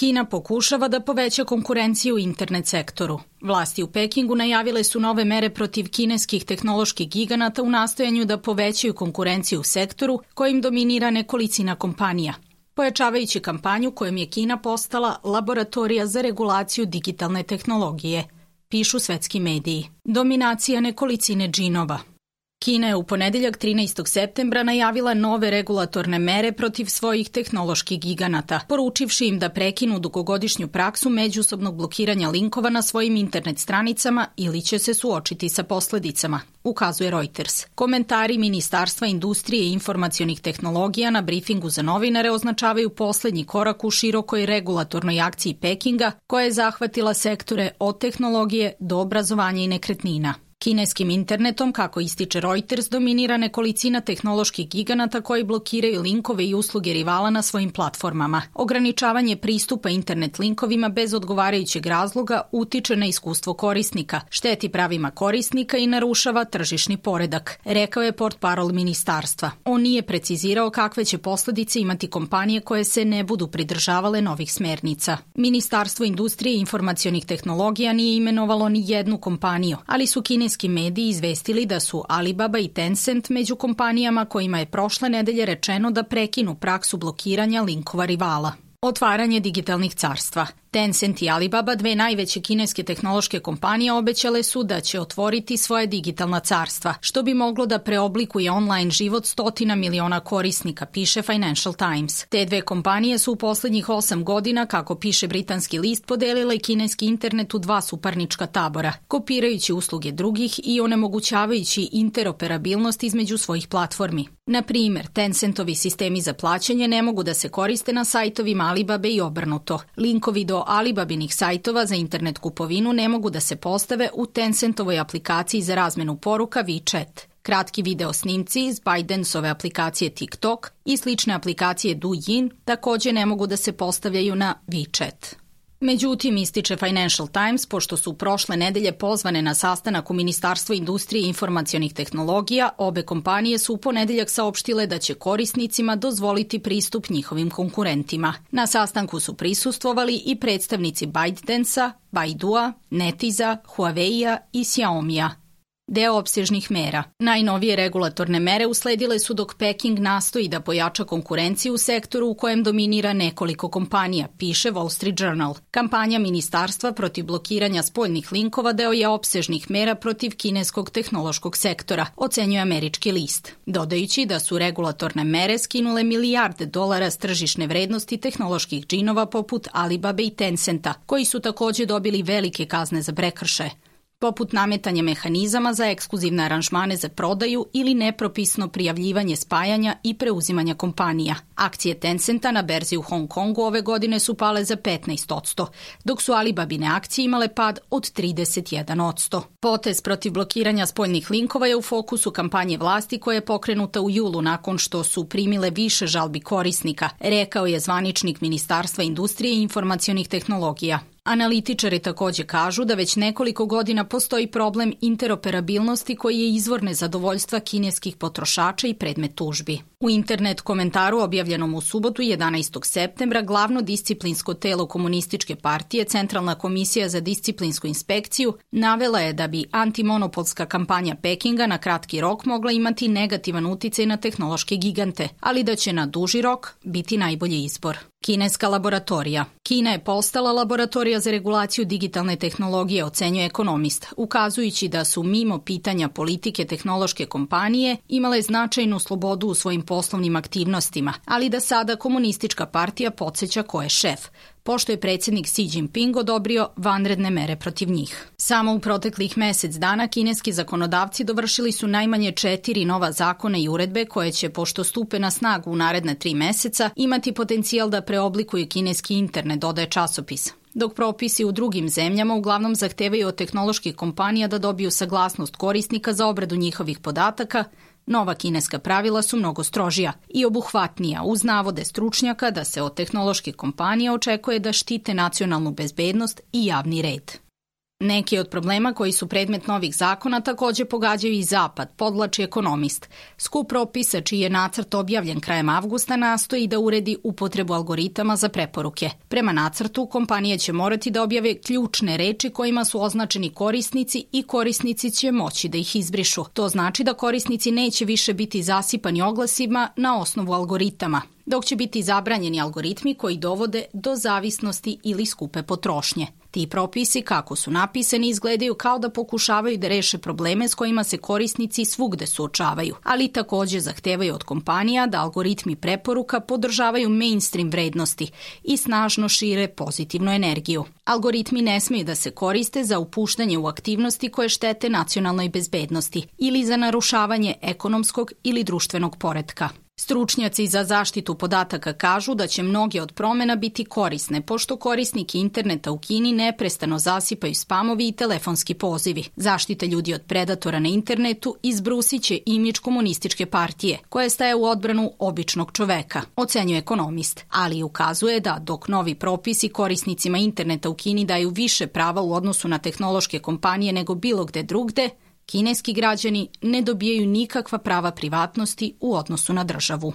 Kina pokušava da poveća konkurenciju u internet sektoru. Vlasti u Pekingu najavile su nove mere protiv kineskih tehnoloških giganata u nastojanju da povećaju konkurenciju u sektoru kojim dominira nekolicina kompanija, pojačavajući kampanju kojom je Kina postala laboratorija za regulaciju digitalne tehnologije, pišu svetski mediji. Dominacija nekolicine džinova. Kina je u ponedeljak 13. septembra najavila nove regulatorne mere protiv svojih tehnoloških giganata, poručivši im da prekinu dugogodišnju praksu međusobnog blokiranja linkova na svojim internet stranicama ili će se suočiti sa posledicama, ukazuje Reuters. Komentari Ministarstva industrije i informacionih tehnologija na brifingu za novinare označavaju poslednji korak u širokoj regulatornoj akciji Pekinga koja je zahvatila sektore od tehnologije do obrazovanja i nekretnina. Kineskim internetom, kako ističe Reuters, dominira nekolicina tehnoloških giganata koji blokiraju linkove i usluge rivala na svojim platformama. Ograničavanje pristupa internet linkovima bez odgovarajućeg razloga utiče na iskustvo korisnika, šteti pravima korisnika i narušava tržišni poredak, rekao je portparol ministarstva. On nije precizirao kakve će posledice imati kompanije koje se ne budu pridržavale novih smernica. Ministarstvo industrije i informacionih tehnologija nije imenovalo ni jednu kompaniju, ali su kineski mediji izvestili da su Alibaba i Tencent među kompanijama kojima je prošle nedelje rečeno da prekinu praksu blokiranja linkova rivala. Otvaranje digitalnih carstva. Tencent i Alibaba, dve najveće kineske tehnološke kompanije, obećale su da će otvoriti svoje digitalna carstva, što bi moglo da preoblikuje online život stotina miliona korisnika, piše Financial Times. Te dve kompanije su u poslednjih 8 godina, kako piše britanski list, podelile kineski internet u dva suparnička tabora, kopirajući usluge drugih i onemogućavajući interoperabilnost između svojih platformi. Na primer, Tencentovi sistemi za plaćanje ne mogu da se koriste na sajtovima Alibabe i obrnuto. Linkovi do Alibabinih sajtova za internet kupovinu ne mogu da se postave u Tencentovoj aplikaciji za razmenu poruka WeChat. Kratki video snimci iz ByteDanceove aplikacije TikTok i slične aplikacije Douyin takođe ne mogu da se postavljaju na WeChat. Međutim, ističe Financial Times, pošto su prošle nedelje pozvane na sastanak u Ministarstvu industrije i informacionih tehnologija, obe kompanije su u ponedeljak saopštile da će korisnicima dozvoliti pristup njihovim konkurentima. Na sastanku su prisustvovali i predstavnici ByteDancea, Baidua, Netiza, Huawei-a i Xiaomi-a. Deo opsežnih mera. Najnovije regulatorne mere usledile su dok Peking nastoji da pojača konkurenciju u sektoru u kojem dominira nekoliko kompanija, piše Wall Street Journal. Kampanja ministarstva protiv blokiranja spoljnih linkova deo je opsežnih mera protiv kineskog tehnološkog sektora, ocenjuje američki list, dodajući da su regulatorne mere skinule milijarde dolara s tržišne vrednosti tehnoloških džinova poput Alibabe i Tencenta, koji su takođe dobili velike kazne za prekršaje, poput nametanja mehanizama za ekskluzivne aranžmane za prodaju ili nepropisno prijavljivanje spajanja i preuzimanja kompanija. Akcije Tencenta na berzi u Hong Kongu ove godine su pale za 15%, dok su Alibabine akcije imale pad od 31%. Potez protiv blokiranja spoljnih linkova je u fokusu kampanje vlasti koja je pokrenuta u julu nakon što su primile više žalbi korisnika, rekao je zvaničnik Ministarstva industrije i informacionih tehnologija. Analitičari takođe kažu da već nekoliko godina postoji problem interoperabilnosti koji je izvor nezadovoljstva kineskih potrošača i predmet tužbi. U internet komentaru objavljenom u subotu 11. septembra glavno disciplinsko telo Komunističke partije, Centralna komisija za disciplinsku inspekciju, navela je da bi antimonopolska kampanja Pekinga na kratki rok mogla imati negativan uticaj na tehnološke gigante, ali da će na duži rok biti najbolji izbor. Kineska laboratorija. Kina je postala laboratorija za regulaciju digitalne tehnologije, ocenjuje ekonomist, ukazujući da su mimo pitanja politike tehnološke kompanije imale značajnu slobodu u svojim poslovnim aktivnostima, ali da sada Komunistička partija podsjeća ko je šef, pošto je predsjednik Xi Jinping odobrio vanredne mere protiv njih. Samo u proteklih mesec dana kineski zakonodavci dovršili su najmanje 4 nova zakona i uredbe koje će, pošto stupe na snagu u naredne 3 meseca, imati potencijal da preoblikuju kineski internet, dodaje časopis. Dok propisi u drugim zemljama uglavnom zahtevaju od tehnoloških kompanija da dobiju saglasnost korisnika za obradu njihovih podataka, nova kineska pravila su mnogo strožija i obuhvatnija uz navode stručnjaka da se od tehnoloških kompanija očekuje da štite nacionalnu bezbednost i javni red. Neki od problema koji su predmet novih zakona takođe pogađaju i Zapad, podvlači ekonomist. Skup propisa čiji je nacrt objavljen krajem avgusta nastoji da uredi upotrebu algoritama za preporuke. Prema nacrtu, kompanije će morati da objave ključne reči kojima su označeni korisnici i korisnici će moći da ih izbrišu. To znači da korisnici neće više biti zasipani oglasima na osnovu algoritama, dok će biti zabranjeni algoritmi koji dovode do zavisnosti ili skupe potrošnje. Ti propisi, kako su napisani, izgledaju kao da pokušavaju da reše probleme s kojima se korisnici svugde suočavaju, ali takođe zahtevaju od kompanija da algoritmi preporuka podržavaju mainstream vrednosti i snažno šire pozitivnu energiju. Algoritmi ne smeju da se koriste za upuštanje u aktivnosti koje štete nacionalnoj bezbednosti ili za narušavanje ekonomskog ili društvenog poretka. Stručnjaci za zaštitu podataka kažu da će mnoge od promena biti korisne, pošto korisniki interneta u Kini neprestano zasipaju spamovi i telefonski pozivi. Zaštita ljudi od predatora na internetu izbrusit će imidž komunističke partije, koja staje u odbranu običnog čoveka, ocenjuje ekonomist, ali ukazuje da dok novi propisi korisnicima interneta u Kini daju više prava u odnosu na tehnološke kompanije nego bilo gde drugde, kineski građani ne dobijaju nikakva prava privatnosti u odnosu na državu.